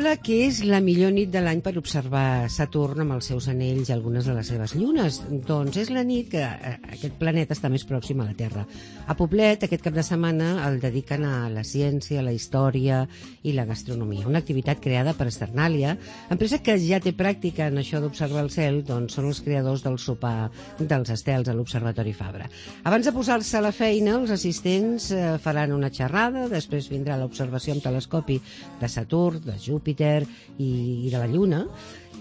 sembla que és la millor nit de l'any per observar Saturn amb els seus anells i algunes de les seves llunes. Doncs és la nit que aquest planeta està més pròxim a la Terra. A Poblet, aquest cap de setmana, el dediquen a la ciència, la història i la gastronomia. Una activitat creada per Sternalia, empresa que ja té pràctica en això d'observar el cel, doncs són els creadors del sopar dels estels a l'Observatori Fabra. Abans de posar-se a la feina, els assistents faran una xerrada, després vindrà l'observació amb telescopi de Saturn, de Júpiter i de la Lluna,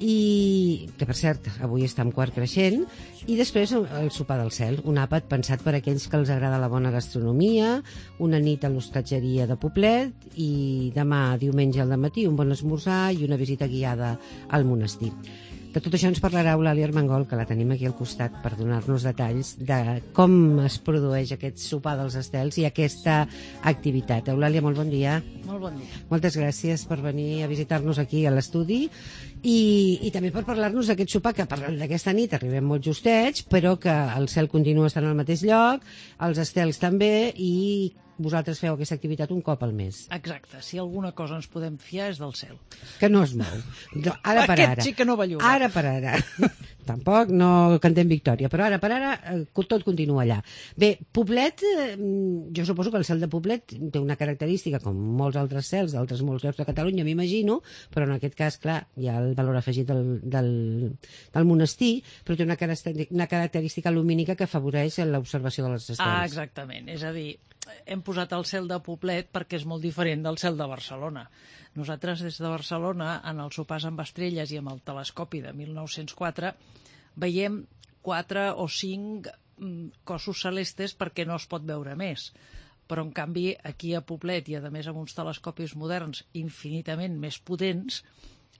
i que per cert avui està en quart creixent, i després el sopar del cel, un àpat pensat per a aquells que els agrada la bona gastronomia, una nit a l'hostatgeria de Poblet i demà diumenge al dematí un bon esmorzar i una visita guiada al monestir. De tot això ens parlarà Eulàlia Armengol, que la tenim aquí al costat per donar-nos detalls de com es produeix aquest sopar dels estels i aquesta activitat. Eulàlia, molt bon dia. Molt bon dia. Moltes gràcies per venir a visitar-nos aquí a l'estudi i també per parlar-nos d'aquest sopar, que parlant d'aquesta nit arribem molt justets, però que el cel continua estant al mateix lloc, els estels també, i vosaltres feu aquesta activitat un cop al mes. Exacte, si alguna cosa ens podem fiar és del cel. Que no es mou. No, ara per ara. Aquest sí que no belluga. Ara per ara. Tampoc no cantem victòria, però ara per ara tot continua allà. Bé, Poblet, jo suposo que el cel de Poblet té una característica, com molts altres cels d'altres molts llocs de Catalunya, m'imagino, però en aquest cas, clar, hi ha el valor afegit del monestir, però té una característica lumínica que afavoreix l'observació de les estels. Ah, exactament. És a dir, hem posat el cel de Poblet perquè és molt diferent del cel de Barcelona. Nosaltres, des de Barcelona, en els sopars amb estrelles i amb el telescopi de 1904, veiem 4 o 5 cossos celestes perquè no es pot veure més. Però, en canvi, aquí a Poblet, i a més amb uns telescopis moderns infinitament més potents,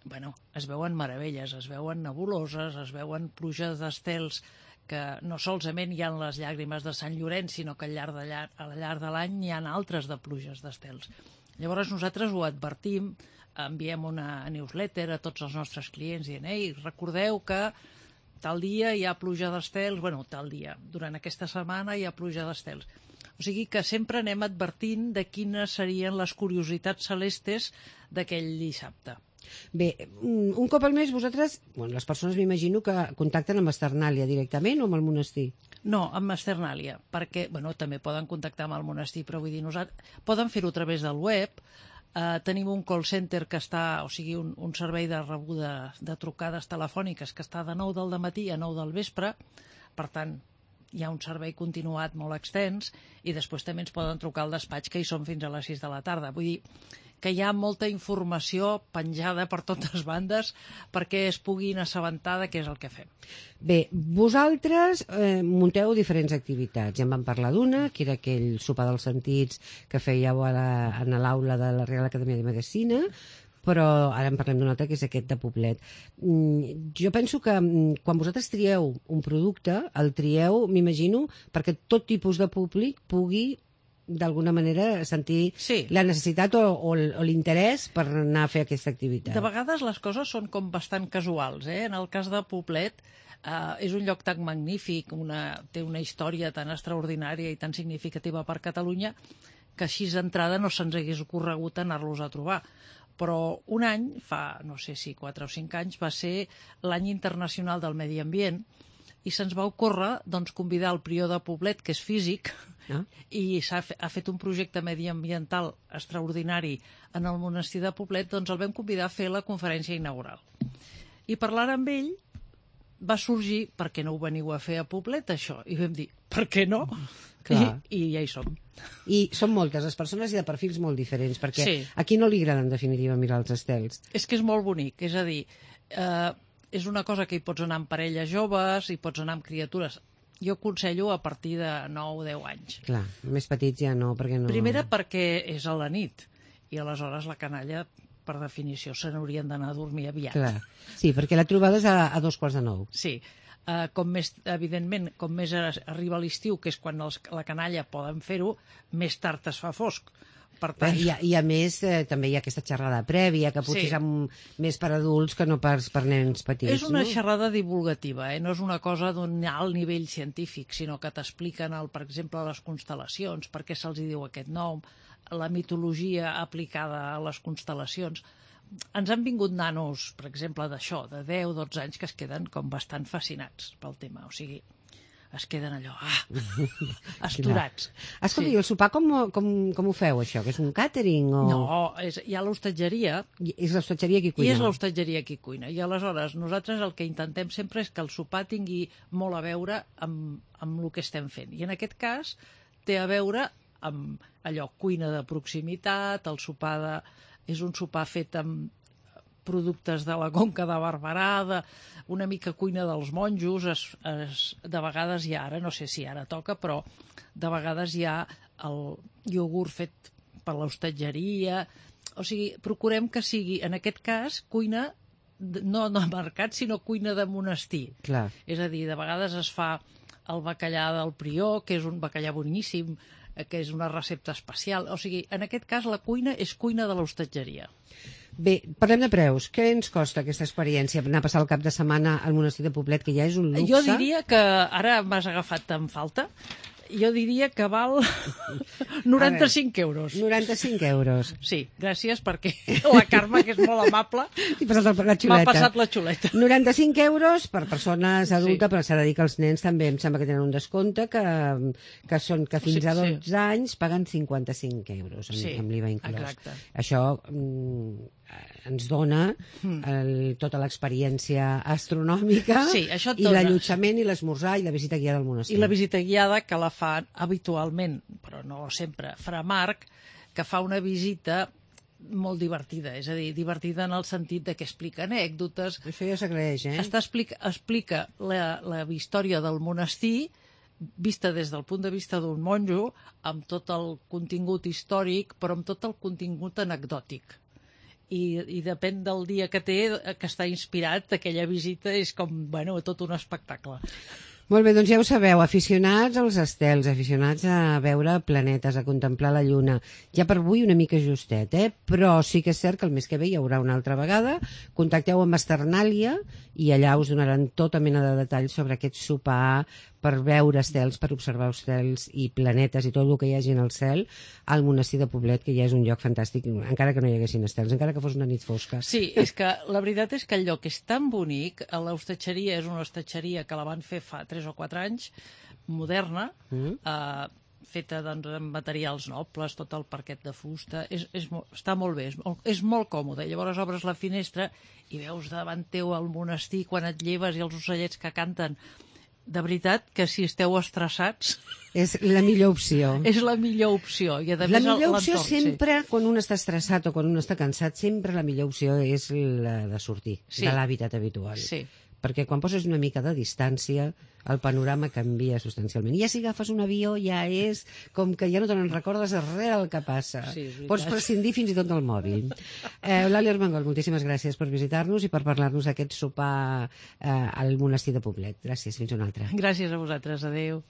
bueno, es veuen meravelles, es veuen nebuloses, es veuen pluges d'estels que no solament hi ha les llàgrimes de Sant Llorenç, sinó que al llarg de l'any hi ha altres de pluges d'estels. Llavors nosaltres ho advertim, enviem una newsletter a tots els nostres clients dient: ei, recordeu que tal dia hi ha pluja d'estels, bueno, tal dia, durant aquesta setmana hi ha pluja d'estels. O sigui que sempre anem advertint de quines serien les curiositats celestes d'aquell dissabte. Bé, un cop al mes vosaltres, bueno, les persones m'imagino que contacten amb Sternalia directament o amb el monestir? No, amb Sternalia, perquè bueno, també poden contactar amb el monestir, però vull dir, poden fer-ho a través del web. Tenim un call center que està, o sigui, un servei de rebuda de trucades telefòniques que està de 9 del dematí a 9 del vespre, per tant, hi ha un servei continuat molt extens, i després també ens poden trucar al despatx, que hi som fins a les 6 de la tarda. Vull dir que hi ha molta informació penjada per totes bandes perquè es puguin assabentar de què és el que fem. Bé, vosaltres munteu diferents activitats. Ja en vam parlar d'una, que era aquell sopar dels sentits que fèieu en l'aula de la Real Acadèmia de Medicina, però ara en parlem d'un altre, que és aquest de Poblet. Jo penso que quan vosaltres trieu un producte, el trieu, m'imagino, perquè tot tipus de públic pugui d'alguna manera sentir la necessitat o l'interès per anar a fer aquesta activitat. De vegades les coses són com bastant casuals. En el cas de Poblet, és un lloc tan magnífic, té una història tan extraordinària i tan significativa per Catalunya, que així d'entrada no se'ns hagués ocorregut anar-los a trobar. Però un any, fa no sé si 4 o 5 anys, va ser l'any internacional del medi ambient, i se'ns va ocórrer convidar el prior de Poblet, que és físic, i ha fet un projecte mediambiental extraordinari en el monestir de Poblet, doncs el vam convidar a fer la conferència inaugural. I parlant amb ell va sorgir: per què no ho veniu a fer a Poblet, això? I vam dir, per què no? I ja hi som. I són moltes les persones i de perfils molt diferents, perquè a qui no li agrada en definitiva mirar els estels? És que és molt bonic, és a dir, és una cosa que hi pots anar amb parelles joves, hi pots anar amb criatures. Jo aconsello a partir de 9 o 10 anys. Clar, més petits ja no, perquè no... Primera perquè és a la nit, i aleshores la canalla, per definició, se n'haurien d'anar a dormir aviat. Clar. Sí, perquè la trobada és a 2:45. Sí. Evidentment, com més arriba l'estiu, que és quan la canalla poden fer-ho, més tard es fa fosc. Per tant... I a més, també hi ha aquesta xerrada prèvia, que potser és més per adults que no per nens petits. És una xerrada divulgativa, no és una cosa d'un alt nivell científic, sinó que t'expliquen, per exemple, les constel·lacions, per què se'ls diu aquest nom, la mitologia aplicada a les constel·lacions. ens han vingut nanos, per exemple, d'això, de 10-12 anys, que es queden com bastant fascinats pel tema. O sigui, es queden allò, asturats. Escolta, i el sopar com ho feu, això? Que és un càtering? O... No, hi ha l'hostatgeria. És l'hostatgeria qui cuina. I és l'hostatgeria qui cuina. I aleshores nosaltres el que intentem sempre és que el sopar tingui molt a veure amb el que estem fent. I en aquest cas té a veure amb allò, cuina de proximitat, el sopar és un sopar fet amb productes de la Conca de Barberà, una mica cuina dels monjos, de vegades hi ha, ara no sé si ara toca, però de vegades hi ha el iogurt fet per l'hostatgeria, o sigui, procurem que sigui, en aquest cas, cuina no de mercat, sinó cuina de monestir. Clar. És a dir, de vegades es fa el bacallà del prior, que és un bacallà boníssim, que és una recepta especial. O sigui, en aquest cas la cuina és cuina de l'hostatgeria. Bé, parlem de preus. Què ens costa aquesta experiència, anar a passar el cap de setmana al monestir de Poblet, que ja és un luxe? Jo diria que, ara m'has agafat en falta, jo diria que val 95 euros. 95 euros. Sí, gràcies, perquè la Carme, que és molt amable, m'ha passat la xuleta. 95 euros per persones adultes, sí. Però s'ha de dir que els nens també em sembla que tenen un descompte, que fins a 12 anys paguen 55 euros amb l'IVA inclòs. Exacte. Això ens dona tota l'experiència astronòmica, sí, i l'allotjament i l'esmorzar i la visita guiada al monestir. I la visita guiada que la fa habitualment, però no sempre, Fra Marc, que fa una visita molt divertida, és a dir, divertida en el sentit de que explica anècdotes. Això ja s'agraeix, explica la història del monestir vista des del punt de vista d'un monjo, amb tot el contingut històric, però amb tot el contingut anecdòtic. I depèn del dia que té, que està inspirat, aquella visita és com, bueno, tot un espectacle. Molt bé, doncs ja ho sabeu, aficionats als estels, aficionats a veure planetes, a contemplar la lluna. Ja per avui una mica justet, però sí que és cert que el mes que ve hi haurà una altra vegada. Contacteu amb Esternàlia i allà us donaran tota mena de detalls sobre aquest sopar per veure estels, per observar estels i planetes i tot el que hi hagi en el cel al monestir de Poblet, que ja és un lloc fantàstic, encara que no hi haguessin estels, encara que fos una nit fosca. Sí, és que la veritat és que el lloc és tan bonic, l'hostatgeria és una hostatgeria que la van fer fa 3 o 4 anys, moderna, feta doncs, amb materials nobles, tot el parquet de fusta, està molt bé, és molt còmode. Llavors obres la finestra i veus davant teu el monestir quan et lleves i els ocellets que canten. De veritat que si esteu estressats... És la millor opció. És la millor opció. I a la millor opció sempre, quan un està estressat o quan un està cansat, sempre la millor opció és la de sortir de l'hàbitat habitual. Sí. Perquè quan poses una mica de distància, el panorama canvia substancialment. I ja si agafes un avió ja és com que ja no te n'en recordes res del que passa. Sí, pots prescindir fins i tot del mòbil. Eulàlia Armengol, moltíssimes gràcies per visitar-nos i per parlar-nos d'aquest sopar al monestir de Poblet. Gràcies, fins una altra. Gràcies a vosaltres, adeu.